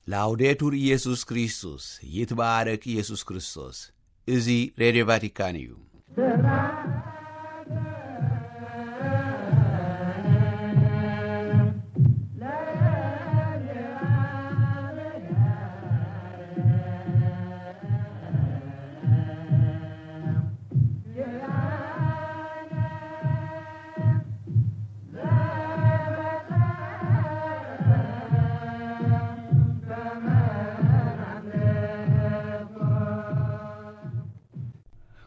ላውዴቱር ኢየሱስ ክርስቶስ፣ ይትባረክ ኢየሱስ ክርስቶስ። እዚ ሬድዮ ቫቲካን እዩ።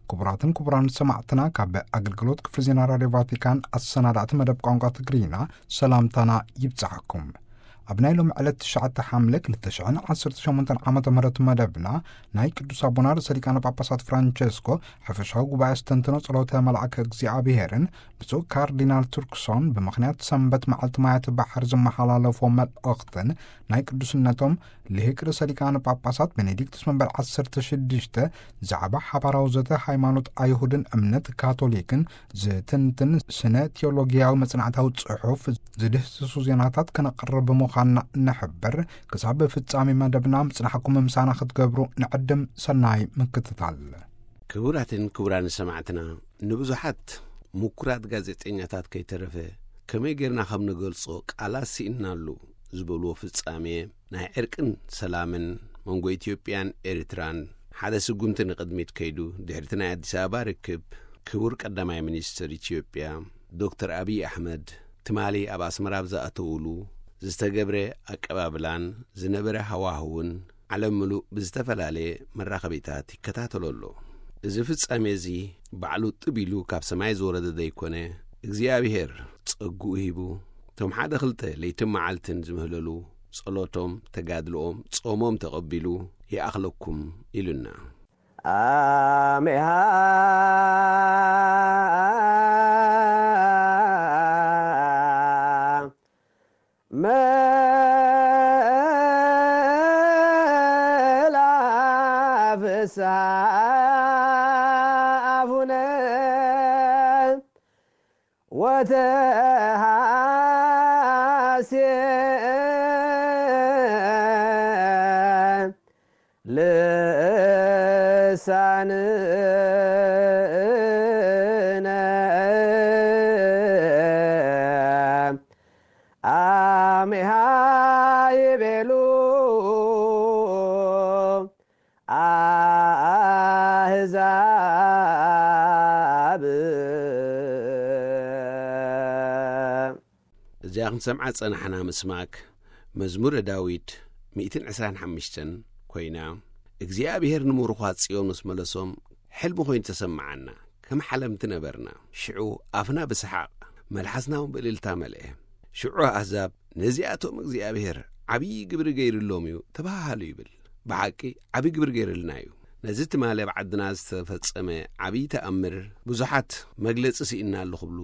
ክቡራትን ክቡራን ሰማዕትና፣ ካብ ኣገልግሎት ክፍሊ ዜና ራድዮ ቫቲካን ኣሰናዳእቲ መደብ ቋንቋ ትግርኛ ሰላምታና ይብጻሕኩም። ኣብ ናይ ሎሚ ዕለት ትሽዓተ ሓምለ ክልተ ሽሕን ዓሰርተ ሸሞንተን ዓመተ ምህረት መደብና፣ ናይ ቅዱስ ኣቦና ርእሰ ሊቃነ ጳጳሳት ፍራንቸስኮ ሕፈሻዊ ጉባኤ ኣስተንትኖ ጸሎተ መልኣከ እግዚኣብሔርን ብፁዕ ካርዲናል ቱርክሶን ብምኽንያት ሰንበት መዓልቲ ማያት ባሕር ዝመሓላለፎ መልእኽትን፣ ናይ ቅዱስነቶም ልሂቅ ርእሰ ሊቃነ ጳጳሳት ቤኔዲክቱስ መንበር ዓሰርተ ሽዱሽተ ዛዕባ ሓባራዊ ዘተ ሃይማኖት ኣይሁድን እምነት ካቶሊክን ዝትንትን ስነ ቴዎሎጊያዊ መጽናዕታዊ ጽሑፍ ዝድህስሱ ዜናታት ከነቕርብ ብምዃንና ንሕብር። ክሳብ ፍጻሜ መደብና ምጽናሕኩም ምሳና ክትገብሩ ንዕድም። ሰናይ ምክትታል። ክቡራትን ክቡራን ሰማዕትና፣ ንብዙሓት ምኩራት ጋዜጠኛታት ከይተረፈ ከመይ ጌርና ከም ንገልጾ ቃላት ስኢንናሉ ዝበልዎ ፍጻሜ ናይ ዕርቅን ሰላምን መንጎ ኢትዮጵያን ኤርትራን ሓደ ስጉምቲ ንቕድሚት ከይዱ፣ ድሕሪቲ ናይ ኣዲስ ኣበባ ርክብ፣ ክቡር ቀዳማይ ሚኒስትር ኢትዮጵያ ዶክተር ኣብይ ኣሕመድ ትማሊ ኣብ ኣስመራ ኣብ ዝኣተውሉ ዝተገብረ ኣቀባብላን ዝነበረ ሃዋህውን ዓለም ምሉእ ብዝተፈላለየ መራኸቢታት ይከታተሎ ኣሎ። እዚ ፍጻሜ እዚ ባዕሉ ጥብ ኢሉ ካብ ሰማይ ዝወረደ ዘይኮነ፣ እግዚኣብሔር ጸግኡ ሂቡ፣ እቶም ሓደ ክልተ ለይትን መዓልትን ዝምህለሉ ጸሎቶም፣ ተጋድልኦም፣ ጾሞም ተቐቢሉ ይኣኽለኩም ኢሉና። ኣሜሃ መላ ፍስሓ ኣፉነ ወተሃሴን ልሳንነ ኣሜሃ ይቤሉ ኣህዛብ። እዚኣ ክንሰምዓ ጸናሕና ምስማክ መዝሙረ ዳዊት ሚእትን ዕስራን ሓሙሽተን ኮይና፣ እግዚኣብሔር ንምሩኻት ጽዮን ምስ መለሶም፣ ሕልሚ ኮይኑ ተሰምዓና፣ ከም ሓለምቲ ነበርና። ሽዑ ኣፍና ብሰሓቕ፣ መልሓስና እውን ብእልልታ መልአ። ሽዑ ኣህዛብ፣ "ነዚኣቶም እግዚኣብሔር ዓብዪ ግብሪ ገይሩሎም እዩ" ተባሃሃሉ ይብል። ብሓቂ ዓብዪ ግብሪ ገይሩልና እዩ። ነዚ ትማሊ ኣብ ዓድና ዝተፈጸመ ዓብዪ ተኣምር ብዙሓት መግለጺ ስኢንናሉ ክብሉ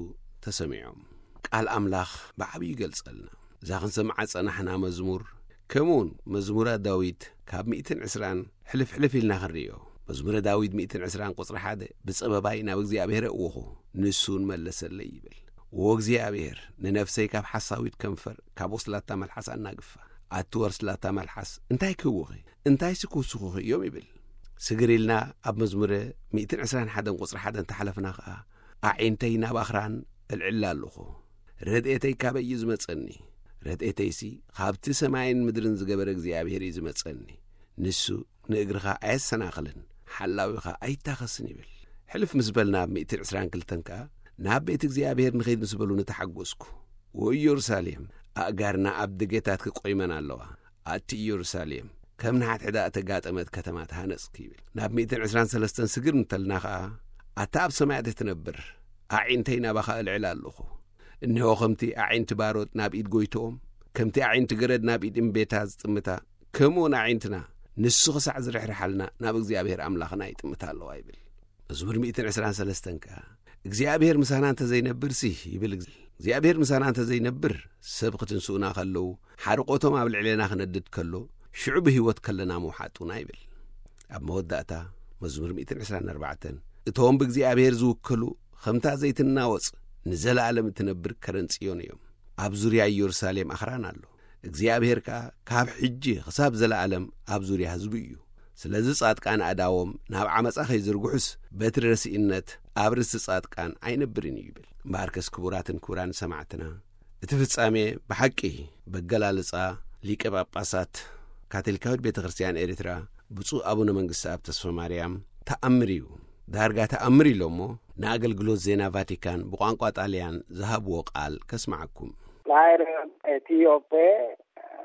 ተሰሚዖም። ቃል ኣምላኽ ብዓብዪ ይገልጸልና። እዛ ክንሰምዓ ጸናሕና መዝሙር፣ ከምኡውን መዝሙረ ዳዊት ካብ ሚእትን ዕስራን ሕልፍ ሕልፍ ኢልና ክንርእዮ። መዝሙረ ዳዊት ሚእትን ዕስራን ቁጽሪ ሓደ፣ "ብጸበባይ ናብ እግዚኣብሔር ኣእወኹ፣ ንሱ እውን መለሰለይ" ይብል። "ዎ እግዚኣብሔር፣ ንነፍሰይ ካብ ሓሳዊት ከንፈር፣ ካብ ወስላታ መልሓስ ኣናግፋ። ኣቲ ወስላታ መልሓስ፣ እንታይ ክህቡኺ? እንታይሲ ክውስኹኺ እዮም?" ይብል። ስግር ኢልና ኣብ መዝሙረ ሚእትን ዕስራን ሓደን ቁጽሪ ሓደ እንተሓለፍና ኸኣ፣ "ኣዒንተይ ናብ ኣኽራን እልዕል ኣለኹ። ረድኤተይ ካበይ እዩ ዝመጸኒ? ረድኤተይሲ ካብቲ ሰማይን ምድርን ዝገበረ እግዚኣብሔር እዩ ዝመጸኒ። ንሱ ንእግርኻ ኣየሰናኽልን፣ ሓላዊኻ ኣይታኸስን" ይብል። ሕልፍ ምስ በልና ኣብ ሚእትን ዕስራን ክልተን ከኣ፣ "ናብ ቤት እግዚኣብሔር ንኸይድ ምስ በሉኒ ተሓጎስኩ። ወኢየሩሳሌም፣ ኣእጋርና ኣብ ደገታትኪ ቆይመን ኣለዋ። ኣቲ ኢየሩሳሌም፣ ከም ንሓድሕዳ እተጋጠመት ከተማ ተሃነጽኪ" ይብል። ናብ ሚእትን ዕስራን ሰለስተን ስግር እንተልና ኸኣ፣ "ኣታ ኣብ ሰማያት እትነብር፣ ኣዒንተይ ናባኻ እልዕል ኣለኹ። እነሆ ከምቲ ኣዒንቲ ባሮት ናብ ኢድ ጎይትኦም፣ ከምቲ ኣዒንቲ ገረድ ናብ ኢድ እምቤታ ዝጥምታ፣ ከምኡውን ኣዒንትና ንሱ ክሳዕ ዝርሕርሓልና ናብ እግዚኣብሔር ኣምላኽና ይጥምታ ኣለዋ" ይብል። መዝሙር ሚእትን ዕስራን ሰለስተን ከኣ፣ "እግዚኣብሔር ምሳና እንተ ዘይነብርሲ" ይብል። "እግዚኣብሔር ምሳና እንተ ዘይነብር፣ ሰብ ክትንስኡና ከለዉ፣ ሓርቆቶም ኣብ ልዕሌና ክነድድ ከሎ፣ ሽዑ ብህይወት ከለና ምውሓጡና" ይብል። ኣብ መወዳእታ መዝሙር ሚእትን ዕስራን ኣርባዕተን፣ "እቶም ብእግዚኣብሔር ዝውከሉ፣ ከምታ ዘይትናወጽ ንዘለኣለም እትነብር ከረን ጽዮን እዮም። ኣብ ዙርያ ኢየሩሳሌም ኣኽራን ኣሎ፣ እግዚኣብሔር ከኣ ካብ ሕጂ ክሳብ ዘለኣለም ኣብ ዙርያ ህዝቡ እዩ። ስለዚ ጻድቃን ኣእዳዎም ናብ ዓመጻ ከይዝርግሑስ፣ በትሪ ረሲእነት ኣብ ርእሲ ጻድቃን ኣይነብርን እዩ ይብል። እምበኣርከስ ክቡራትን ክቡራን ሰማዕትና፣ እቲ ፍጻሜ ብሓቂ በገላልጻ ሊቀ ጳጳሳት ካቶሊካዊት ቤተ ክርስቲያን ኤርትራ ብፁዕ ኣቡነ መንግስተኣብ ተስፋ ማርያም ተኣምር እዩ። ዳርጋ ተኣምር ኢሎሞ ንኣገልግሎት ዜና ቫቲካን ብቋንቋ ጣልያን ዝሃብዎ ቃል ከስምዓኩም። L'aereo etiope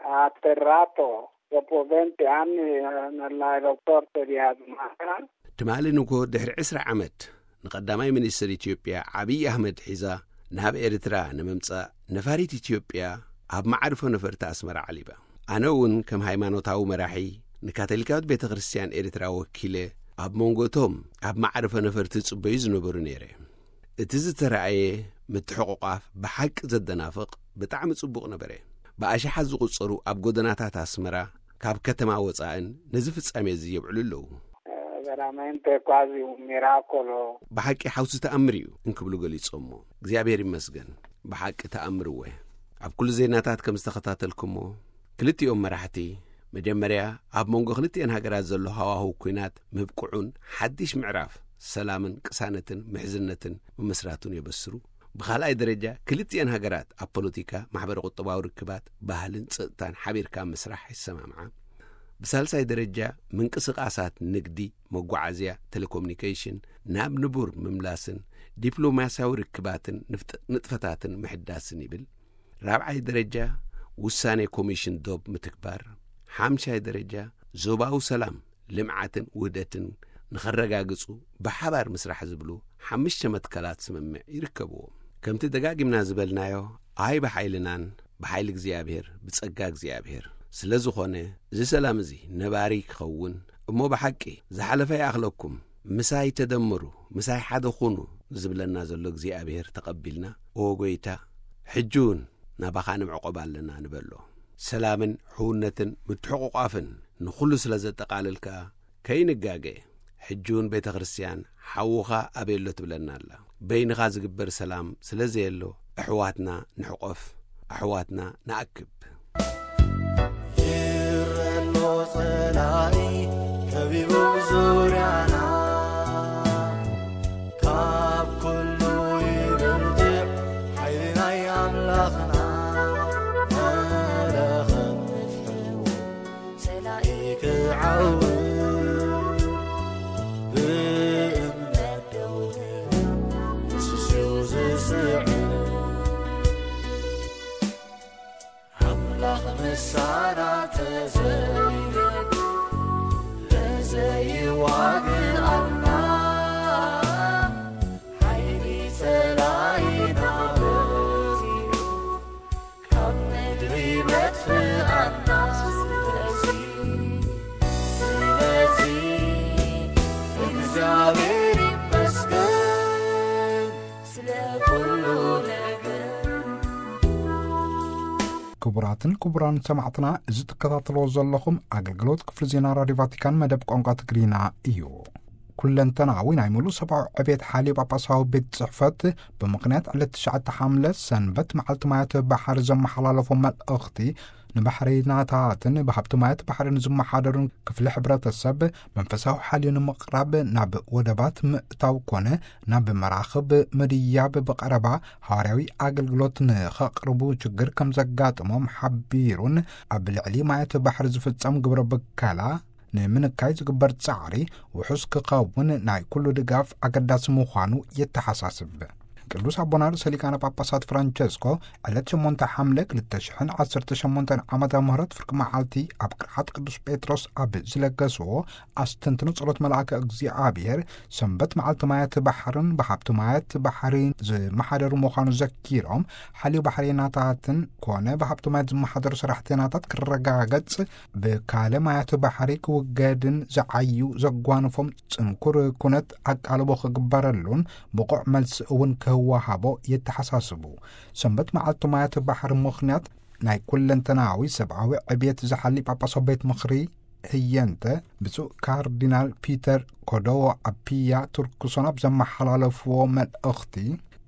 ha atterrato dopo venti anni, eh, nell'aeroporto di Asmara. ትማሊ ንግሆ ድሕሪ ዕስራ ዓመት ንቐዳማይ ሚኒስትር ኢትዮጵያ ዓብዪ ኣህመድ ሒዛ ናብ ኤርትራ ንምምጻእ ነፋሪት ኢትዮጵያ ኣብ መዓርፎ ነፈርቲ ኣስመራ ዓሊባ። ኣነ እውን ከም ሃይማኖታዊ መራሒ ንካቶሊካዊት ቤተ ክርስቲያን ኤርትራ ወኪለ ኣብ መንጎ እቶም ኣብ መዓርፎ ነፈርቲ ዝጽበዩ ዝነበሩ ነይረ። እቲ ዝተራእየ ምትሕቑቋፍ ብሓቂ ዘደናፍቕ ብጣዕሚ ጽቡቕ ነበረ። ብኣሽሓት ዝቑጸሩ ኣብ ጎደናታት ኣስመራ ካብ ከተማ ወጻእን ነዚ ፍጻሜ እዚ የብዕሉ ኣለዉ። Eh, veramente quasi un miracolo. ብሓቂ ሓውሲ ተኣምር እዩ እንክብሉ ገሊጾሞ። እግዚኣብሔር ይመስገን። ብሓቂ ተኣምር እወ። ኣብ ኩሉ ዜናታት ከም ዝተኸታተልኩሞ፣ ክልቲኦም መራሕቲ መጀመርያ ኣብ መንጎ ክልቲኤን ሃገራት ዘሎ ሃዋህው ኲናት ምብቅዑን ሓድሽ ምዕራፍ ሰላምን ቅሳነትን ምሕዝነትን ምምስራቱን የበስሩ። ብኻልኣይ ደረጃ ክልቲኤን ሃገራት ኣብ ፖለቲካ፣ ማሕበረ ቁጠባዊ ርክባት፣ ባህልን ጸጥታን ሓቢርካ ምስራሕ ይሰማምዓ። ብሳልሳይ ደረጃ ምንቅስቓሳት ንግዲ፣ መጓዓዝያ፣ ቴሌኮሙኒኬሽን ናብ ንቡር ምምላስን ዲፕሎማስያዊ ርክባትን ንፍጥ-፣ ንጥፈታትን ምሕዳስን ይብል። ራብዓይ ደረጃ ውሳኔ ኮሚሽን ዶብ ምትግባር። ሓምሻይ ደረጃ ዞባዊ ሰላም፣ ልምዓትን ውህደትን ንኸረጋግጹ ብሓባር ምስራሕ ዝብሉ ሓምሽተ መትከላት ስምምዕ ይርከብዎም። ከምቲ ደጋጊምና ዝበልናዮ፣ ኣይ ብሓይልናን ብሓይሊ እግዚኣብሔር፣ ብጸጋ እግዚኣብሔር። ስለ ዝኾነ፣ እዚ ሰላም እዚ ነባሪ ክኸውን እሞ ብሓቂ ዝሓለፈ ይኣኽለኩም፣ ምሳይ ተደምሩ፣ ምሳይ ሓደ ኩኑ ዝብለና ዘሎ እግዚኣብሔር ተቐቢልና፣ ኦ ጎይታ፣ ሕጂ እውን ናባኻ ንምዕቆብ ኣለና ንበሎ። ሰላምን ሕውነትን ምትሕቑቋፍን ንኹሉ ስለ ዘጠቓልል ከኣ ከይንጋገ፣ ሕጂ እውን ቤተ ክርስቲያን ሓውኻ ኣበየሎ ትብለና ኣላ። በይንኻ ዝግበር ሰላም ስለ ዘየሎ፣ ኣሕዋትና ንሕቆፍ፣ ኣሕዋትና ንኣክብ። ይረሎ ጸላኢ ከቢቡ ዙርያና፣ ካብ ኩሉ ይብርትዕ ሓይሊ ናይ ኣምላኽና። መለኸት ንፍሕዎ ጸላኢ ክዓውት ብእምነት ደው ንብል፣ ንሱ ዝስዕር። ኣምላኽ ምሳና ተዘይገድ ለዘይዋግኣና፣ ሓይሊ ጸላኢና በዚሑ ካብ ምድሪ መጥፍኣና። ስለዚ፣ ስለዚ እግዚኣብሔር ይመስገን ስለ ኩሉ ነገር። ክቡራትን ክቡራን ሰማዕትና፣ እዚ ትከታተልዎ ዘለኹም ኣገልግሎት ክፍሊ ዜና ራዲዮ ቫቲካን መደብ ቋንቋ ትግርኛ እዩ። ኩለንተናዊ ናይ ሙሉእ ሰብኣዊ ዕቤት ሓልዮ ጳጳሳዊ ቤት ጽሕፈት ብምኽንያት ዕለት ትሽዓተ ሓምለ ሰንበት መዓልቲ ማያት ባሕሪ ዘመሓላለፎ መልእኽቲ፣ ንባሕሪናታትን ብሃብቲ ማያት ባሕሪ ንዝመሓደሩን ክፍሊ ሕብረተሰብ መንፈሳዊ ሓልዮ ንምቕራብ ናብ ወደባት ምእታው ኮነ ናብ መራኽብ ምድያብ ብቐረባ ሃዋርያዊ ኣገልግሎት ንኸቕርቡ ችግር ከም ዘጋጥሞም ሓቢሩን፣ ኣብ ልዕሊ ማያት ባሕሪ ዝፍጸም ግብረ ብከላ ንምንካይ ዝግበር ጻዕሪ ውሑስ ክኸውን ናይ ኩሉ ድጋፍ ኣገዳሲ ምዃኑ የተሓሳስብ። ቅዱስ ኣቦና ርእሰ ሊቃነ ጳጳሳት ፍራንቸስኮ ዕለት ሸሞንተ ሓምለ ክልተ ሽሕን ዓሰርተ ሸሞንተን ዓመተ ምህረት ፍርቂ መዓልቲ ኣብ ቅርዓት ቅዱስ ጴጥሮስ ኣብ ዝለገስዎ ኣስተንትኖ ጸሎት መልኣከ እግዚኣብሔር፣ ሰንበት መዓልቲ ማያት ባሕርን ብሃብቲ ማያት ባሕሪ ዝመሓደሩ ምዃኑ ዘኪሮም፣ ሓልዮ ባሕሬናታትን ኮነ ብሃብቲ ማያት ዝመሓደሩ ሰራሕተኛታት ክረጋገጽ፣ ብካለ ማያት ባሕሪ ክውገድን ዝዓዩ ዘጓንፎም ጽንኩር ኩነት ኣቃልቦ ክግበረሉን ብቑዕ መልሲ እውን ክወሃቦ የተሓሳስቡ። ሰንበት መዓልቲ ማያት ባሕሪ ምኽንያት ናይ ኩለንተናዊ ሰብኣዊ ዕብየት ዝሓሊ ጳጳሳዊ ቤት ምኽሪ ህየንተ፣ ብፁዕ ካርዲናል ፒተር ኮዶዎ ኣፒያ ቱርክሶን ኣብ ዘመሓላለፍዎ መልእኽቲ፣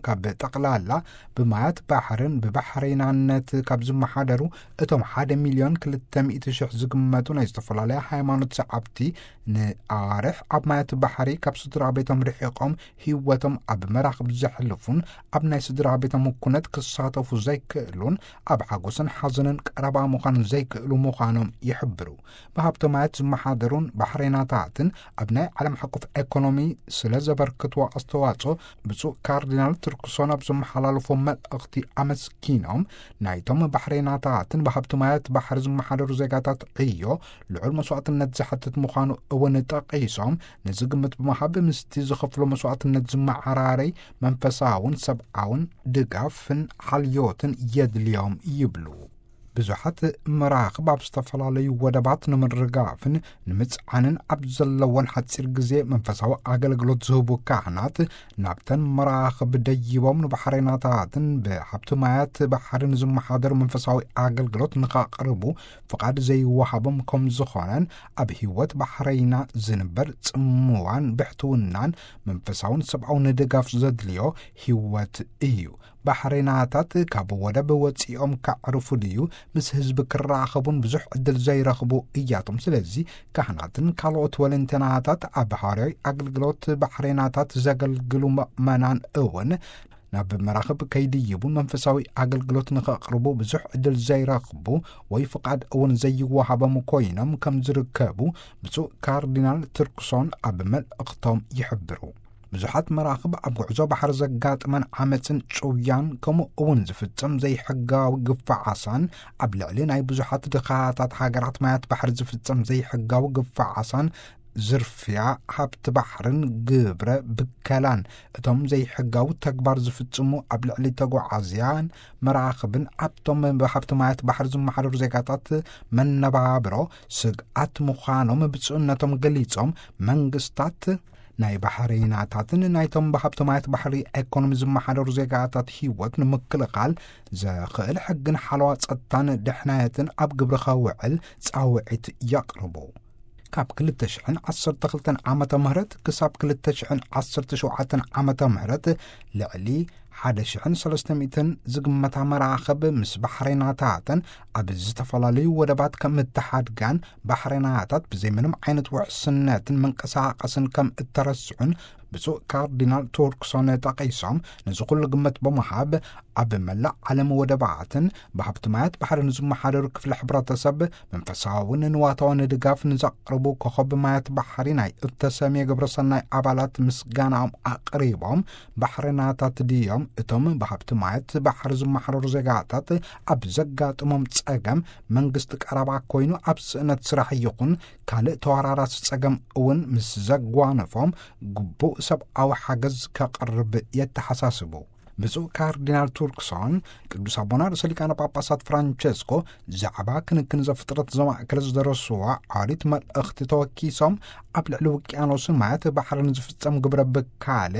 ካብ ጠቕላላ ብማያት ባሕርን ብባሕሬናነት ካብ ዝመሓደሩ እቶም ሓደ ሚልዮን ክልተ ሚእቲ ሽሕ ዝግመቱ ናይ ዝተፈላለያ ሃይማኖት ሰዓብቲ፣ ንኣዋርሕ ኣብ ማያት ባሕሪ ካብ ስድራ ቤቶም ርሒቖም ህይወቶም ኣብ መራኽብ ዘሕልፉን ኣብ ናይ ስድራ ቤቶም ኩነት ክሳተፉ ዘይክእሉን ኣብ ሓጎስን ሓዘንን ቀረባ ምዃን ዘይክእሉ ምዃኖም ይሕብሩ። ብሃብቲ ማያት ዝመሓደሩን ባሕሬናታትን ኣብ ናይ ዓለም ሓቆፍ ኤኮኖሚ ስለ ዘበርክትዎ ኣስተዋጽኦ፣ ብፁዕ ካርዲናል ቱርክሶን ኣብ ዘመሓላለፎ መልእኽቲ ኣመስኪኖም፣ ናይቶም ባሕሬናታትን ብሃብቲ ማያት ባሕሪ ዝመሓደሩ ዜጋታት ዕዮ ልዑል መስዋዕትነት ዝሓትት ምዃኑ እውን ጠቒሶም፣ ነዚ ግምት ብምሃብ ምስቲ ዝኸፍሎ መስዋዕትነት ዝመዓራረይ መንፈሳውን ሰብኣውን ድጋፍን ሓልዮትን የድልዮም ይብሉ። ብዙሓት መራኽብ ኣብ ዝተፈላለዩ ወደባት ንምርጋፍን ንምጽዓንን ኣብ ዘለዎን ሓጺር ግዜ መንፈሳዊ ኣገልግሎት ዝህቡ ካህናት ናብተን መራኽብ ደይቦም ንባሕሬናታትን ብሃብቲ ማያት ባሕርን ዝመሓደሩ መንፈሳዊ ኣገልግሎት ንኸቕርቡ ፍቓድ ዘይወሃቦም ከም ዝኾነን ኣብ ህይወት ባሕረይና ዝንበር ጽምዋን ብሕትውናን መንፈሳውን ሰብኣውን ድጋፍ ዘድልዮ ህይወት እዩ። ባሕሬናታት ካብ ወደብ ወጺኦም ከዕርፉ ድዩ ምስ ህዝቢ ክራኸቡን ብዙሕ ዕድል ዘይረኽቡ እያቶም። ስለዚ ካህናትን ካልኦት ወለንተናታት ኣብ ሃዋርያዊ ኣገልግሎት ባሕሬናታት ዘገልግሉ ምእመናን እውን ናብ መራኽብ ከይድይቡን መንፈሳዊ ኣገልግሎት ንኸቕርቡ ብዙሕ ዕድል ዘይረኽቡ ወይ ፍቓድ እውን ዘይወሃቦም ኮይኖም ከም ዝርከቡ ብፁዕ ካርዲናል ቱርክሶን ኣብ መልእኽቶም ይሕብሩ። ብዙሓት መራኽብ ኣብ ጉዕዞ ባሕሪ ዘጋጥመን ዓመፅን ጭውያን ከምኡ እውን ዝፍጸም ዘይሕጋዊ ግፋዓሳን ኣብ ልዕሊ ናይ ብዙሓት ድኻታት ሃገራት ማያት ባሕሪ ዝፍጸም ዘይሕጋዊ ግፋዓሳን ዝርፍያ ሃብቲ ባሕርን ግብረ ብከላን እቶም ዘይሕጋዊ ተግባር ዝፍጽሙ ኣብ ልዕሊ ተጓዓዝያን መራኽብን ኣብቶም ብሃብቲ ማያት ባሕሪ ዝመሓደሩ ዜጋታት መነባብሮ ስግኣት ምዃኖም ብፁዕነቶም ገሊጾም፣ መንግስታት ናይ ባሕረይናታትን ናይቶም ብሃብቲ ማያት ባሕሪ ኤኮኖሚ ዝመሓደሩ ዜጋታት ህይወት ንምክልኻል ዘኽእል ሕግን ሓለዋ ጸጥታን ድሕነትን ኣብ ግብሪ ከውዕል ጻውዒት የቕርቡ። ካብ ክልተ ሽሕን ዓሰርተ ክልተን ዓመተ ምህረት ክሳብ ክልተ ሽሕን ዓሰርተ ሸውዓተን ዓመተ ምህረት ልዕሊ ሓደ ሽሕን ሰለስተ ሚእትን ዝግመታ መራኽብ ምስ ባሕሬናታተን ኣብ ዝተፈላለዩ ወደባት ከም እተሓድጋን ባሕሬናታት ብዘይ ምንም ዓይነት ውሕስነትን መንቀሳቐስን ከም እተረስዑን ብፁዕ ካርዲናል ቱርክሶን ጠቒሶም፣ ነዚ ኩሉ ግምት ብምሃብ ኣብ መላእ ዓለም ወደባትን ብሃብቲ ማያት ባሕርን ዝመሓደሩ ክፍሊ ሕብረተሰብ መንፈሳውን ንዋታውን ድጋፍ ንዘቕርቡ ኮኸብ ማያት ባሕሪ ናይ እተሰምየ ግብረ ሰናይ ኣባላት ምስጋናኦም ኣቕሪቦም፣ ባሕሬናታት ድዮም እቶም ብሃብቲ ማያት ባሕሪ ዝመሓደሩ ዜጋታት ኣብ ዘጋጥሞም ጸገም መንግስቲ ቀረባ ኮይኑ ኣብ ስእነት ስራሕ ይኹን ካልእ ተወራራሲ ጸገም እውን ምስ ዘጓነፎም ግቡእ ሰብኣዊ ሓገዝ ከቕርብ የተሓሳስቡ። ብፁዕ ካርዲናል ቱርክሶን ቅዱስ ኣቦና ርእሰ ሊቃነ ጳጳሳት ፍራንቸስኮ ዛዕባ ክንክን ዘፍጥረት ዘማእከለ ዝደረስዋ ዓሪት መልእኽቲ ተወኪሶም፣ ኣብ ልዕሊ ውቅያኖስን ማያት ባሕርን ዝፍጸም ግብረ ብካለ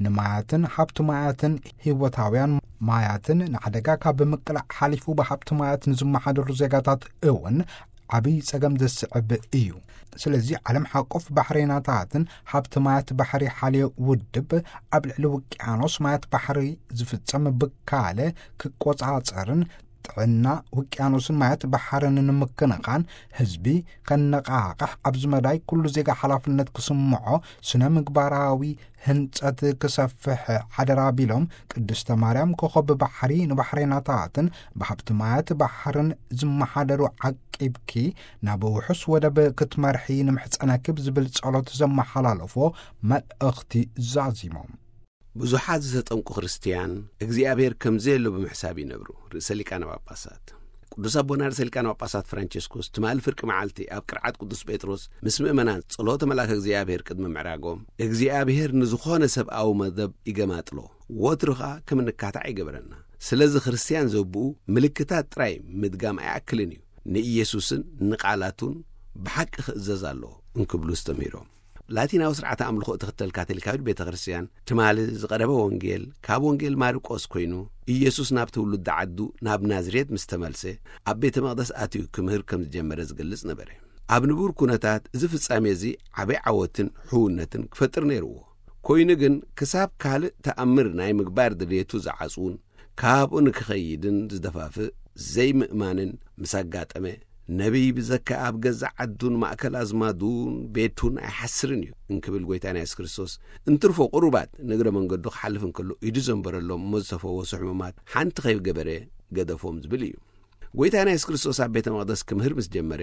ንማያትን ሃብቲ ማያትን ህይወታውያን ማያትን ንሓደጋ ካብ ምቅላዕ ሓሊፉ ብሃብቲ ማያት ንዝመሓደሩ ዜጋታት እውን ዓብዪ ጸገም ዘስዕብ እዩ። ስለዚ ዓለም ሓቆፍ ባሕሬናታትን ሃብቲ ማያት ባሕሪ ሓልዮ ውድብ ኣብ ልዕሊ ውቅያኖስ ማያት ባሕሪ ዝፍጸም ብካለ ክቆጻጸርን ጥዕና ውቅያኖስን ማያት ባሕርን ንምክንኻን ህዝቢ ከነቓቕሕ ኣብዚ መዳይ ኩሉ ዜጋ ሓላፍነት ክስምዖ ስነ ምግባራዊ ህንጸት ክሰፍሕ ሓደራ ቢሎም፣ ቅድስተ ማርያም ኮኸብ ባሕሪ ንባሕሬናታትን ብሃብቲ ማያት ባሕርን ዝመሓደሩ ዓቂብኪ ናብ ውሑስ ወደብ ክትመርሒ ንምሕጸነኪ ብዝብል ጸሎት ዘመሓላለፎ መልእኽቲ ዛዚሞም። ብዙሓት ዝተጠምቁ ክርስትያን እግዚኣብሔር ከም ዘየሎ ብምሕሳብ ይነብሩ። ርእሰ ሊቃነ ጳጳሳት ቅዱስ ኣቦና ርእሰ ሊቃነ ጳጳሳት ፍራንቸስኮስ ትማሊ ፍርቂ መዓልቲ ኣብ ቅርዓት ቅዱስ ጴጥሮስ ምስ ምእመናን ጸሎተ መልኣከ እግዚኣብሔር ቅድሚ ምዕራጎም፣ እግዚኣብሔር ንዝኾነ ሰብኣዊ መደብ ይገማጥሎ፣ ወትሩ ኸኣ ከም እንካታዕ ይገብረና። ስለዚ ክርስትያን ዘብኡ ምልክታት ጥራይ ምድጋም ኣይኣክልን እዩ፣ ንኢየሱስን ንቓላቱን ብሓቂ ክእዘዝ ኣለዎ እንክብሉ ኣስተምሂሮም። ላቲናዊ ስርዓተ ኣምልኾ እትኽተል ካቶሊካዊት ቤተ ክርስትያን ትማሊ ዝቐረበ ወንጌል ካብ ወንጌል ማርቆስ ኮይኑ፣ ኢየሱስ ናብ ትውልዲ ዓዱ ናብ ናዝሬት ምስ ተመልሰ፣ ኣብ ቤተ መቕደስ ኣትዩ ክምህር ከም ዝጀመረ ዝገልጽ ነበረ። ኣብ ንቡር ኩነታት እዚ ፍጻሜ እዚ ዓቢ ዓወትን ሕውነትን ክፈጥር ነይርዎ። ኮይኑ ግን ክሳብ ካልእ ተኣምር ናይ ምግባር ድልየቱ ዝዓጽውን ካብኡ ንክኸይድን ዝደፋፍእ ዘይምእማንን ምስ ኣጋጠመ፣ ነቢይ ብዘከኣ ኣብ ገዛእ ዓዱን ማእከል ኣዝማዱን ቤቱን ኣይሓስርን እዩ እንክብል ጎይታና የሱስ ክርስቶስ፣ እንትርፎ ቁሩባት ንእግረ መንገዱ ክሓልፍ እንከሎ ኢዱ ዘንበረሎም እሞ ዝፈወሱ ሕሙማት ሓንቲ ከይገበረ ገደፎም ዝብል እዩ። ጎይታና የሱስ ክርስቶስ ኣብ ቤተ መቕደስ ክምህር ምስ ጀመረ፣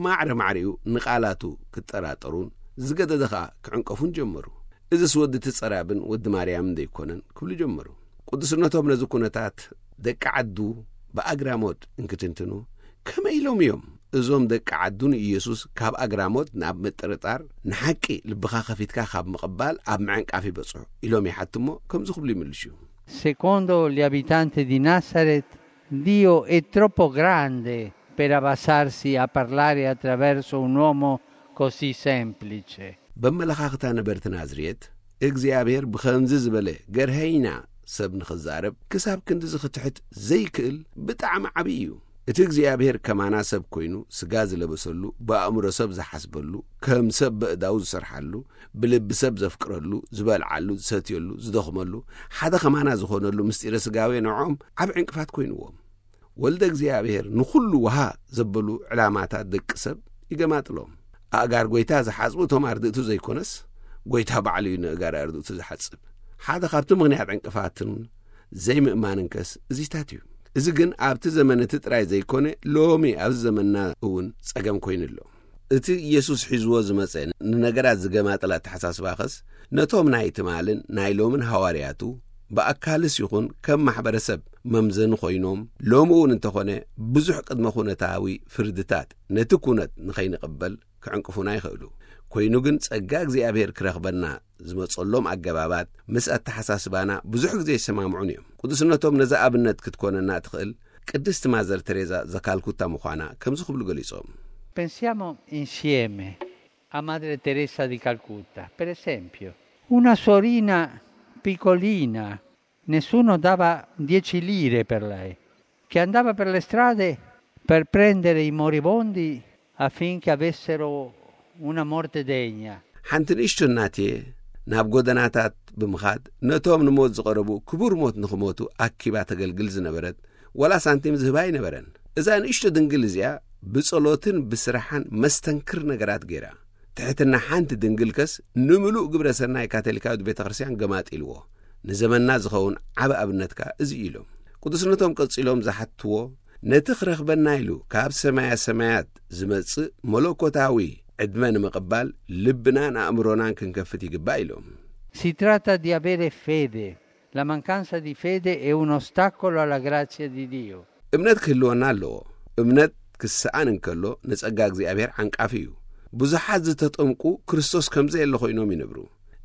ማዕረ ማዕሪኡ ንቓላቱ ክጠራጠሩን ዝገደደ ኸኣ ክዕንቀፉን ጀመሩ። እዝስ ወዲ እቲ ጸራብን ወዲ ማርያምን ደይኮነን ክብሉ ጀመሩ። ቅዱስነቶም ነዚ ኩነታት ደቂ ዓዱ ብኣግራሞት እንክትንትኑ፣ ከመይ ኢሎም እዮም እዞም ደቂ ዓዱ ንኢየሱስ ካብ ኣግራሞት ናብ ምጥርጣር፣ ንሓቂ ልብኻ ከፊትካ ካብ ምቕባል ኣብ ምዕንቃፍ ይበጽሑ ኢሎም ይሓትሞ ከምዚ ክብሉ ይምልሹ። Secondo gli abitanti di Nazareth, Dio è troppo grande per abbassarsi a parlare attraverso un uomo così semplice. በመለኻኽታ ነበርቲ ናዝሬት፣ እግዚኣብሔር ብኸምዚ ዝበለ ገርሀይና ሰብ ንኽዛረብ ክሳብ ክንድዚ ክትሕት ዘይክእል ብጣዕሚ ዓብዪ እዩ። እቲ እግዚኣብሔር ከማና ሰብ ኮይኑ ስጋ ዝለበሰሉ፣ ብኣእምሮ ሰብ ዝሓስበሉ፣ ከም ሰብ በእዳው ዝሰርሓሉ፣ ብልቢ ሰብ ዘፍቅረሉ፣ ዝበልዓሉ፣ ዝሰትየሉ፣ ዝደኽመሉ፣ ሓደ ከማና ዝኾነሉ ምስጢረ ስጋዌ ንዖም ዓብ ዕንቅፋት ኮይንዎም። ወልደ እግዚኣብሔር ንኹሉ ውሃ ዘበሉ ዕላማታት ደቂ ሰብ ይገማጥሎም። ኣእጋር ጎይታ ዝሓጽቡ እቶም ኣርድእቱ ዘይኮነስ፣ ጎይታ ባዕሉ እዩ ንእጋር ኣርድእቱ ዝሓጽብ። ሓደ ካብቲ ምኽንያት ዕንቅፋትን ዘይምእማንንከስ እዚታት እዩ። እዚ ግን ኣብቲ ዘመን እቲ ጥራይ ዘይኮነ፣ ሎሚ ኣብዚ ዘመንና እውን ጸገም ኮይኑ ኣሎ። እቲ ኢየሱስ ሒዝዎ ዝመጸ ንነገራት ዝገማጥል ኣተሓሳስባኸስ፣ ነቶም ናይ ትማልን ናይ ሎምን ሃዋርያቱ ብኣካልስ ይኹን ከም ማሕበረሰብ መምዘኒ ኮይኖም፣ ሎሚ እውን እንተኾነ ብዙሕ ቅድመ ኩነታዊ ፍርድታት ነቲ ኩነት ንኸይንቕበል ክዕንቅፉና ይኽእሉ። ኮይኑ ግን ጸጋ እግዚኣብሔር ክረኽበና ዝመጸሎም ኣገባባት ምስ ኣተሓሳስባና ብዙሕ ግዜ ይሰማምዑን እዮም። ቅዱስነቶም ነዚ ኣብነት ክትኮነና እትኽእል ቅድስቲ ማዘር ቴሬዛ ዘካልኩታ ምዃና ከምዚ ክብሉ ገሊጾም። Pensiamo insieme a Madre Teresa di Calcutta, per esempio. Una sorina piccolina, nessuno dava dieci lire per lei, che andava per le strade per prendere i moribondi affinché avessero una morte degna. ሓንቲ ንእሽቶ እናትየ ናብ ጎደናታት ብምኻድ ነቶም ንሞት ዝቐረቡ ክቡር ሞት ንኽሞቱ ኣኪባ ተገልግል ዝነበረት፣ ዋላ ሳንቲም ዝህባ ኣይነበረን። እዛ ንእሽቶ ድንግል እዚኣ ብጸሎትን ብስራሓን መስተንክር ነገራት ገይራ። ትሕትና ሓንቲ ድንግልከስ ንምሉእ ግብረ ሰናይ ካቶሊካዊት ቤተ ክርስቲያን ገማጢልዎ። ንዘመንና ዝኸውን ዓቢ ኣብነትካ እዚ እዩ ኢሎም። ቅዱስነቶም ቀጺሎም ዝሓትዎ፣ ነቲ ክረኽበና ኢሉ ካብ ሰማያ ሰማያት ዝመጽእ መለኮታዊ ዕድመ ንምቕባል ልብናን ኣእምሮናን ክንከፍት ይግባእ ኢሎም። Si tratta di avere fede. La mancanza di fede è un ostacolo alla grazia di Dio. እምነት ክህልወና ኣለዎ። እምነት ክሰኣን እንከሎ ንጸጋ እግዚኣብሔር ዓንቃፊ እዩ። ብዙሓት ዝተጠምቁ ክርስቶስ ከም ዘየለ ኮይኖም ይነብሩ።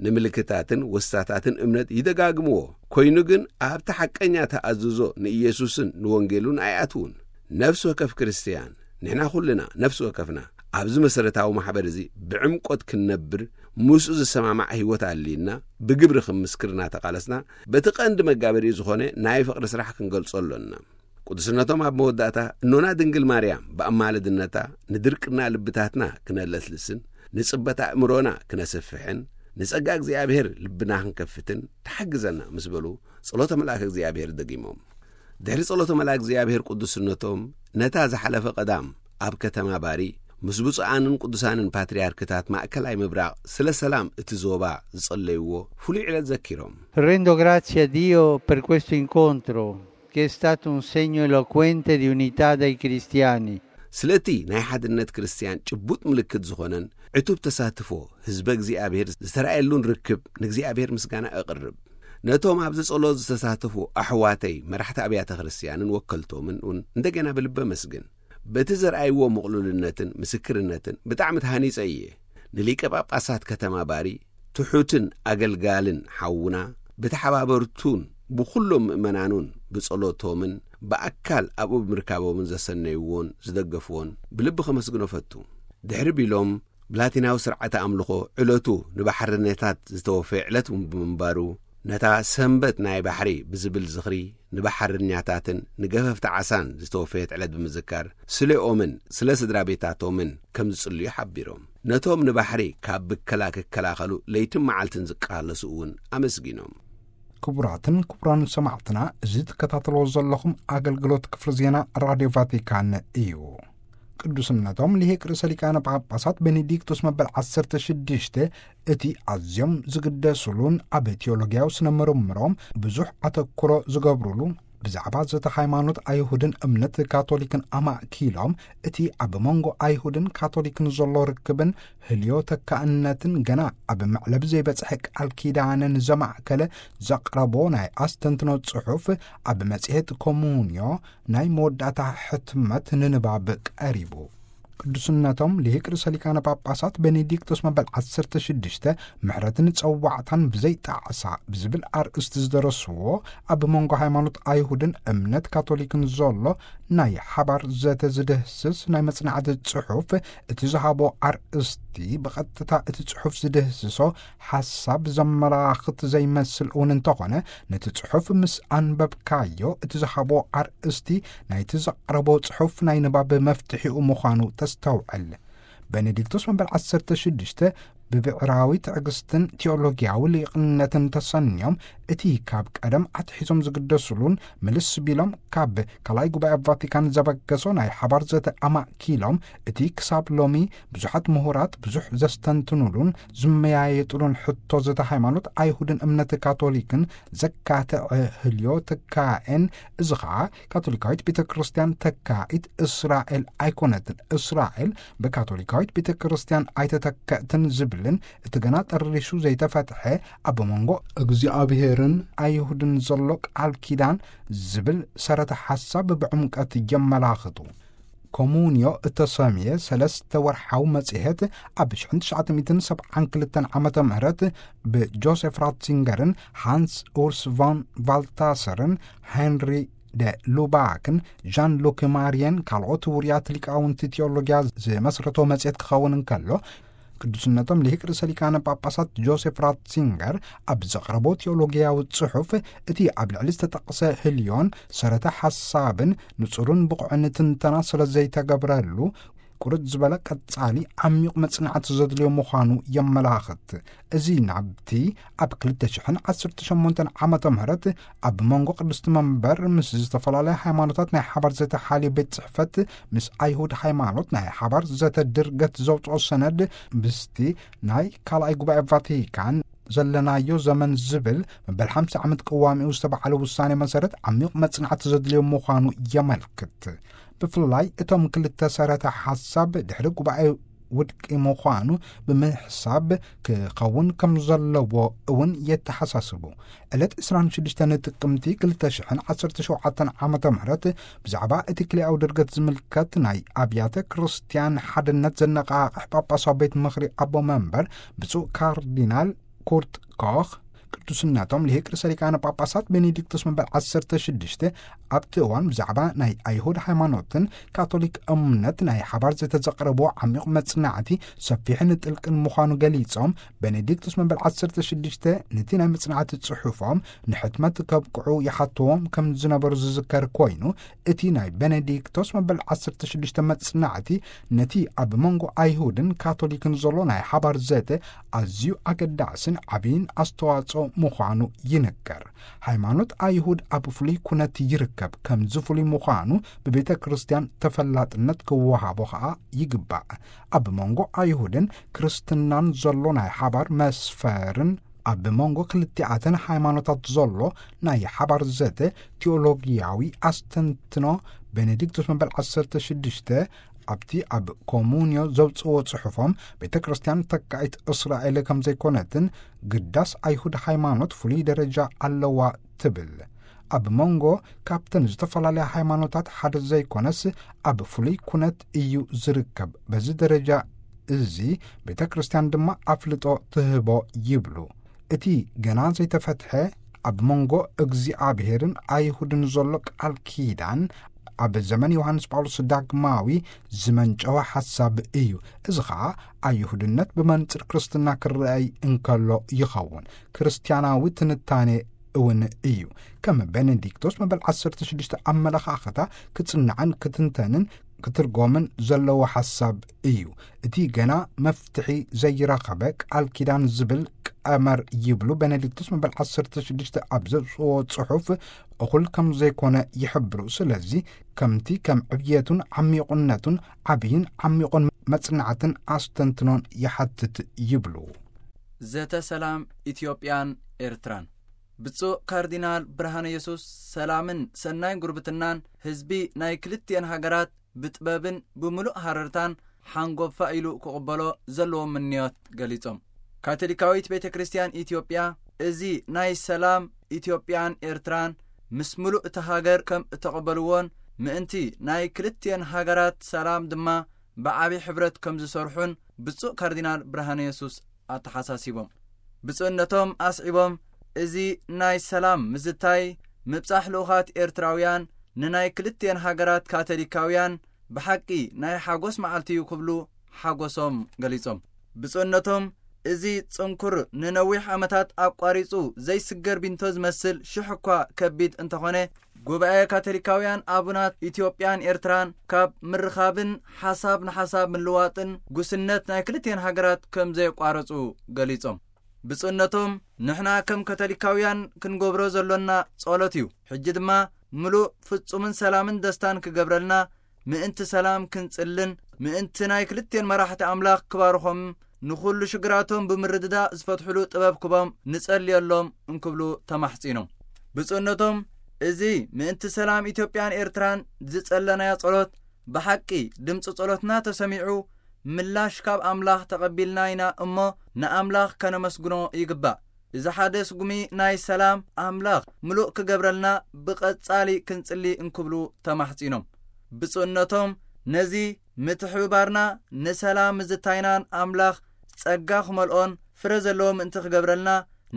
ንምልክታትን ወስታታትን እምነት ይደጋግምዎ። ኮይኑ ግን ኣብቲ ሓቀኛ ተኣዝዞ ንኢየሱስን ንወንጌሉን ኣይኣትዉን። ነፍሲ ወከፍ ክርስትያን፣ ንሕና ኩልና ነፍሲ ወከፍና ኣብዚ መሰረታዊ ማሕበር እዚ ብዕምቆት ክንነብር፣ ምስኡ ዝሰማማዕ ህይወት ኣልዩና፣ ብግብሪ ክምስክር እናተቓለስና፣ በቲ ቀንዲ መጋበሪኡ ዝኾነ ናይ ፍቕሪ ስራሕ ክንገልጾ ኣሎና። ቅዱስነቶም ኣብ መወዳእታ፣ እኖና ድንግል ማርያም ብኣማልድነታ ንድርቅና ልብታትና ክነለስልስን ንጽበት ኣእምሮና ክነስፍሕን ንጸጋ እግዚኣብሔር ልብና ክንከፍትን ትሓግዘና ምስ በሉ፣ ጸሎተ መልኣከ እግዚኣብሔር ደጊሞም። ድሕሪ ጸሎተ መልኣክ እግዚኣብሔር ቅዱስነቶም፣ ነታ ዝሓለፈ ቀዳም ኣብ ከተማ ባሪ ምስ ብፁዓንን ቅዱሳንን ፓትርያርክታት ማእከላይ ምብራቕ ስለ ሰላም እቲ ዞባ ዝጸለይዎ ፍሉይ ዕለት ዘኪሮም። Rendo grazie a Dio per questo incontro, che è stato un segno eloquente di unità dei cristiani. ስለቲ ናይ ሓድነት ክርስትያን ጭቡጥ ምልክት ዝኾነን ዕቱብ ተሳትፎ ህዝበ እግዚኣብሔር ዝተራእየሉን ርክብ ንእግዚኣብሔር ምስጋና እቕርብ። ነቶም ኣብዚ ጸሎት ዝተሳተፉ ኣሕዋተይ መራሕቲ ኣብያተ ክርስትያንን ወከልቶምን እውን እንደገና ብልቢ ኣመስግን። በቲ ዘርኣይዎ ምቕሉልነትን ምስክርነትን ብጣዕሚ ተሃኒጸ እየ። ንሊቀ ጳጳሳት ከተማ ባሪ ትሑትን ኣገልጋልን ሓውና፣ ብተሓባበርቱን ብኹሎም ምእመናኑን ብጸሎቶምን ብኣካል ኣብኡ ብምርካቦምን ዘሰነይዎን ዝደገፍዎን ብልቢ ከመስግኖ ፈቱ። ድሕሪ ቢሎም ብላቲናዊ ስርዓተ ኣምልኾ ዕለቱ ንባሕረኛታት ዝተወፈየ ዕለት ብምንባሩ፣ ነታ ሰንበት ናይ ባሕሪ ብዝብል ዝኽሪ ንባሕረኛታትን ንገፈፍቲ ዓሳን ዝተወፈየት ዕለት ብምዝካር፣ ስለኦምን ስለ ስድራ ቤታቶምን ከም ዝጽልዩ ሓቢሮም። ነቶም ንባሕሪ ካብ ብከላ ክከላኸሉ ለይትን መዓልትን ዝቃለሱ እውን ኣመስጊኖም። ክቡራትን ክቡራን ሰማዕትና፣ እዚ ትከታተልዎ ዘለኹም ኣገልግሎት ክፍሊ ዜና ራድዮ ቫቲካን እዩ። ቅዱስነቶም ሊሄቅ ርእሰ ሊቃነ ጳጳሳት ቤኔዲክቶስ መበል ዓሰርተ ሽዱሽተ እቲ ኣዝዮም ዝግደሱሉን ኣብ ቴዎሎጊያዊ ስነ ምርምሮም ብዙሕ ኣተኩሮ ዝገብሩሉ፣ ብዛዕባ ዘተ ሃይማኖት ኣይሁድን እምነት ካቶሊክን ኣማእኪሎም፣ እቲ ኣብ መንጎ ኣይሁድን ካቶሊክን ዘሎ ርክብን ህልዮ ተካእነትን ገና ኣብ መዕለቢ ዘይበጽሐ ቃል ኪዳንን ዘማእከለ ዘቕረቦ ናይ ኣስተንትኖ ጽሑፍ ኣብ መጽሔት ኮሙንዮ ናይ መወዳእታ ሕትመት ንንባብ ቀሪቡ። ቅዱስነቶም ሊሂቅ ርእሰ ሊቃነ ጳጳሳት ቤኔዲክቶስ መበል ዓሰርተ ሽዱሽተ ምሕረትን ጸዋዕታን ብዘይ ጣዕሳ ብዝብል ኣርእስቲ ዝደረስዎ፣ ኣብ መንጎ ሃይማኖት ኣይሁድን እምነት ካቶሊክን ዘሎ ናይ ሓባር ዘተ ዝድህስስ ናይ መጽናዕቲ ጽሑፍ፣ እቲ ዝሃቦ ኣርእስቲ ብቐጥታ እቲ ጽሑፍ ዝድህስሶ ሓሳብ ዘመላኽት ዘይመስል እውን እንተኾነ፣ ነቲ ጽሑፍ ምስ ኣንበብካዮ እቲ ዝሃቦ ኣርእስቲ ናይቲ ዘቕረቦ ጽሑፍ ናይ ንባብ መፍትሒኡ ምዃኑ ተስተውዕል። ቤኔዲክቶስ መበል ዓሰርተ ሽዱሽተ ብብዕራዊ ትዕግስትን ቴዎሎጊያዊ ሊቕነትን ተሰንዮም፣ እቲ ካብ ቀደም ኣትሒዞም ዝግደሱሉን ምልስ ቢሎም ካብ ካልኣይ ጉባኤ ቫቲካን ዘበገሶ ናይ ሓባር ዘተ ኣማእኪሎም፣ እቲ ክሳብ ሎሚ ብዙሓት ምሁራት ብዙሕ ዘስተንትኑሉን ዝመያየጡሉን ሕቶ ዘተ ሃይማኖት ኣይሁድን እምነት ካቶሊክን ዘካትዐ ህልዮ ትካኤን፣ እዚ ኸዓ ካቶሊካዊት ቤተ ክርስቲያን ተካኢት እስራኤል ኣይኮነትን፣ እስራኤል ብካቶሊካዊት ቤተ ክርስቲያን ኣይተተከእትን ዝብልን፣ እቲ ገና ጠሪሹ ዘይተፈትሐ ኣብ መንጎ እግዚኣብሔርን ኣይሁድን ዘሎ ቃል ኪዳን ዝብል ሰረተ ሓሳብ ብዕምቀት የመላኽቱ። ኮሙንዮ እተሰምየ ሰለስተ ወርሓዊ መጽሔት፣ ኣብ ሽሕን ትሽዓተ ሚእትን ሰብዓን ክልተን ዓመተ ምህረት ብጆሴፍ ራትዚንገርን ሃንስ ኡርስ ቮን ቫልታሰርን ሄንሪ ደ ሉባክን ዣን ሉክ ማርየን ካልኦት ውሩያት ሊቃውንቲ ቴዎሎጊያ ዝመስረቶ መጽሔት ክኸውን እንከሎ፣ ቅዱስነቶም ሊቅ ርእሰ ሊቃነ ጳጳሳት ጆሴፍ ራትዚንገር ኣብ ዘቕረቦ ቴዎሎጊያዊ ጽሑፍ፣ እቲ ኣብ ልዕሊ ዝተጠቕሰ ህልዮን ሰረተ ሓሳብን ንጹርን ብቑዕን ትንተና ስለ ዘይተገብረሉ፣ ቁርጥ ዝበለ ቀጻሊ ዓሚቕ መጽናዕቲ ዘድልዮ ምዃኑ የመላኽት። እዚ ናብቲ ኣብ ክልተ ሽሕን ዓሰርተ ሸሞንተን ዓመተ ምህረት ኣብ መንጎ ቅድስቲ መንበር ምስ ዝተፈላለያ ሃይማኖታት ናይ ሓባር ዘተ ሓልዮ ቤት ጽሕፈት ምስ ኣይሁድ ሃይማኖት ናይ ሓባር ዘተ ድርገት ዘውጽኦ ሰነድ፣ ምስቲ ናይ ካልኣይ ጉባኤ ቫቲካን ዘለናዮ ዘመን ዝብል መበል ሓምሳ ዓመት ቅዋሚኡ ዝተባዕለ ውሳኔ መሰረት ዓሚቕ መጽናዕቲ ዘድልዮ ምዃኑ የመልክት። ብፍላይ እቶም ክልተ ሰረተ ሓሳብ ድሕሪ ጉባኤ ውድቂ ምዃኑ ብምሕሳብ ክኸውን ከም ዘለዎ እውን የተሓሳስቡ። ዕለት ዕስራን ሽዱሽተን ጥቅምቲ ክልተ ሽሕን ዓሰርተ ሸውዓተን ዓመተ ምህረት ብዛዕባ እቲ ክልኣዊ ድርገት ዝምልከት ናይ ኣብያተ ክርስቲያን ሓድነት ዘነቓቕሕ ጳጳሳዊ ቤት ምኽሪ ኣቦ መንበር ብፁዕ ካርዲናል ኩርት ኮኽ፣ ቅዱስነቶም ሊቅ ርእሰ ሊቃነ ጳጳሳት ቤኔዲክቶስ መበል ዓሰርተ ሽዱሽተ ኣብቲ እዋን ብዛዕባ ናይ ኣይሁድ ሃይማኖትን ካቶሊክ እምነት ናይ ሓባር ዘተዘቕረብዎ ዓሚቕ መጽናዕቲ ሰፊሕን ጥልቅን ምዃኑ ገሊጾም፣ ቤኔዲክቶስ መበል ዓሰርተ ሽዱሽተ ነቲ ናይ መጽናዕቲ ጽሑፎም ንሕትመት ከብቅዑ ይሓትዎም ከም ዝነበሩ ዝዝከር ኮይኑ፣ እቲ ናይ ቤኔዲክቶስ መበል ዓሰርተ ሽዱሽተ መጽናዕቲ ነቲ ኣብ መንጎ ኣይሁድን ካቶሊክን ዘሎ ናይ ሓባር ዘተ ኣዝዩ ኣገዳስን ዓብይን ኣስተዋጽኦ ምዃኑ ይንገር። ሃይማኖት ኣይሁድ ኣብ ፍሉይ ኩነት ይርከብ፣ ከምዚ ፍሉይ ምዃኑ ብቤተ ክርስቲያን ተፈላጥነት ክወሃቦ ኸኣ ይግባእ። ኣብ መንጎ ኣይሁድን ክርስትናን ዘሎ ናይ ሓባር መስፈርን ኣብ መንጎ ክልቲኣተን ሃይማኖታት ዘሎ ናይ ሓባር ዘተ ቴዎሎጊያዊ ኣስተንትኖ ቤኔዲክቶስ መበል ዓሰርተ ሽዱሽተ ኣብቲ ኣብ ኮሙንዮ ዘውፅዎ ጽሑፎም፣ ቤተ ክርስቲያን ተካኢት እስራኤል ከም ዘይኮነትን ግዳስ ኣይሁድ ሃይማኖት ፍሉይ ደረጃ ኣለዋ ትብል። ኣብ መንጎ ካብተን ዝተፈላለያ ሃይማኖታት ሓደ ዘይኮነስ ኣብ ፍሉይ ኩነት እዩ ዝርከብ። በዚ ደረጃ እዚ ቤተ ክርስቲያን ድማ ኣፍልጦ ትህቦ ይብሉ። እቲ ገና ዘይተፈትሐ ኣብ መንጎ እግዚኣብሔርን ኣይሁድን ዘሎ ቃል ኪዳን ኣብ ዘመን ዮሃንስ ጳውሎስ ዳግማዊ ዝመንጨወ ሓሳብ እዩ። እዚ ኸኣ ኣይሁድነት ብመንጽር ክርስትና ክረኣይ እንከሎ ይኸውን። ክርስትያናዊ ትንታኔ እውን እዩ። ከም ቤኔዲክቶስ መበል ዓሰርተ ሽዱሽተ ኣመለኻኽታ ክጽናዕን ክትንተንን ክትርጎምን ዘለዎ ሓሳብ እዩ። እቲ ገና መፍትሒ ዘይረኸበ ቃል ኪዳን ዝብል ቀመር ይብሉ ቤኔዲክቱስ መበል ዓሰርተ ሽዱሽተ ኣብ ዘውፅዎ ጽሑፍ እኹል ከም ዘይኮነ ይሕብሩ። ስለዚ ከምቲ ከም ዕብየቱን ዓሚቑነቱን ዓብይን ዓሚቑን መጽናዕትን ኣስተንትኖን ይሓትት ይብሉ። ዘተ ሰላም ኢትዮጵያን ኤርትራን። ብፁዕ ካርዲናል ብርሃነ የሱስ ሰላምን ሰናይ ጉርብትናን ህዝቢ ናይ ክልቲኤን ሃገራት ብጥበብን ብምሉእ ሃረርታን ሓንጎፋ ኢሉ ክቕበሎ ዘለዎ ምንዮት ገሊጾም። ካቶሊካዊት ቤተ ክርስቲያን ኢትዮጵያ እዚ ናይ ሰላም ኢትዮጵያን ኤርትራን ምስ ምሉእ እቲ ሃገር ከም እተቐበልዎን ምእንቲ ናይ ክልቲኤን ሃገራት ሰላም ድማ ብዓቢ ሕብረት ከም ዝሰርሑን ብፁዕ ካርዲናል ብርሃነ የሱስ ኣተሓሳሲቦም። ብፁዕነቶም ኣስዒቦም፣ እዚ ናይ ሰላም ምዝታይ ምብጻሕ ልኡኻት ኤርትራውያን ንናይ ክልቲኤን ሃገራት ካቶሊካውያን ብሓቂ ናይ ሓጎስ መዓልቲ እዩ ክብሉ ሓጎሶም ገሊጾም። ብፁዕነቶም እዚ ጽንኩር ንነዊሕ ዓመታት ኣቋሪጹ ዘይስገር ቢንቶ ዝመስል ሽሕ እኳ ከቢድ እንተኾነ ጉባኤ ካቶሊካውያን ኣቡናት ኢትዮጵያን ኤርትራን ካብ ምርኻብን ሓሳብ ንሓሳብ ምልዋጥን ጉስነት ናይ ክልቲኤን ሃገራት ከም ዘየቋረጹ ገሊጾም። ብፁዕነቶም ንሕና ከም ካቶሊካውያን ክንገብሮ ዘሎና ጸሎት እዩ። ሕጂ ድማ ምሉእ ፍጹምን ሰላምን ደስታን ክገብረልና ምእንቲ ሰላም ክንጽልን ምእንቲ ናይ ክልቲኤን መራሕቲ ኣምላኽ ክባርኾም ንኹሉ ሽግራቶም ብምርድዳእ ዝፈትሕሉ ጥበብ ክቦም ንጸልየሎም እንክብሉ ተማሕጺኖም። ብፁዕነቶም እዚ ምእንቲ ሰላም ኢትዮጵያን ኤርትራን ዝጸለናዮ ጸሎት ብሓቂ ድምፂ ጸሎትና ተሰሚዑ ምላሽ ካብ ኣምላኽ ተቐቢልና ኢና እሞ ንኣምላኽ ከነመስግኖ ይግባእ። እዚ ሓደ ስጉሚ ናይ ሰላም ኣምላኽ ምሉእ ክገብረልና ብቐጻሊ ክንጽሊ እንክብሉ ተማሕጺኖም። ብፁዕነቶም ነዚ ምትሕብባርና ንሰላም ምዝታይናን ኣምላኽ ጸጋ ክመልኦን ፍረ ዘለዎ ምእንቲ ክገብረልና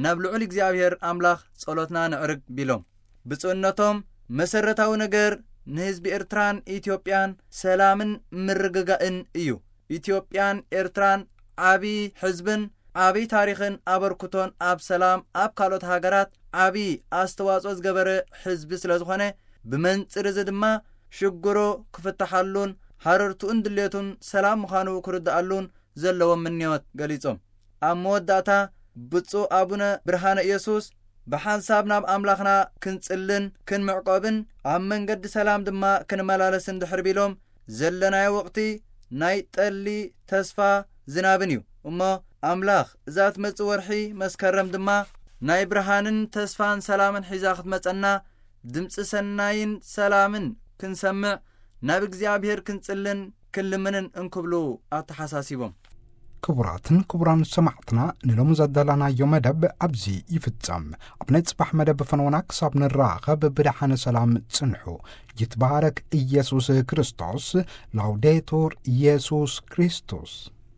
ናብ ልዑል እግዚኣብሔር ኣምላኽ ጸሎትና ንዕርግ ቢሎም። ብፁዕነቶም መሰረታዊ ነገር ንህዝቢ ኤርትራን ኢትዮጵያን ሰላምን ምርግጋእን እዩ። ኢትዮጵያን ኤርትራን ዓቢ ሕዝብን ዓቢ ታሪኽን ኣበርክቶን ኣብ ሰላም ኣብ ካልኦት ሃገራት ዓቢ ኣስተዋጽኦ ዝገበረ ሕዝቢ ስለ ዝኾነ ብመንጽር እዚ ድማ ሽግሮ ክፍትሓሉን ሃረርቱኡን ድሌቱን ሰላም ምዃኑ ክርድኣሉን ዘለዎም ምንዮት ገሊጾም። ኣብ መወዳእታ ብፁዕ ኣቡነ ብርሃነ ኢየሱስ ብሓንሳብ ናብ ኣምላኽና ክንጽልን ክንምዕቆብን ኣብ መንገዲ ሰላም ድማ ክንመላለስን ድሕር ቢሎም ዘለናዮ ወቕቲ ናይ ጠሊ ተስፋ ዝናብን እዩ። እሞ ኣምላኽ እዛ ትመጽእ ወርሒ መስከረም ድማ ናይ ብርሃንን ተስፋን ሰላምን ሒዛ ክትመጸና ድምፂ ሰናይን ሰላምን ክንሰምዕ ናብ እግዚኣብሔር ክንጽልን ክንልምንን እንክብሉ ኣተሓሳሲቦም። ክቡራትን ክቡራን ሰማዕትና ንሎም ዘዳላናዮ መደብ ኣብዚ ይፍጸም። ኣብ ናይ ጽባሕ መደብ ፈነወና ክሳብ ንራኸብ ብደሓነ ሰላም ጽንሑ። ይትባረክ ኢየሱስ ክርስቶስ። ላውዴቱር ኢየሱስ ክርስቶስ።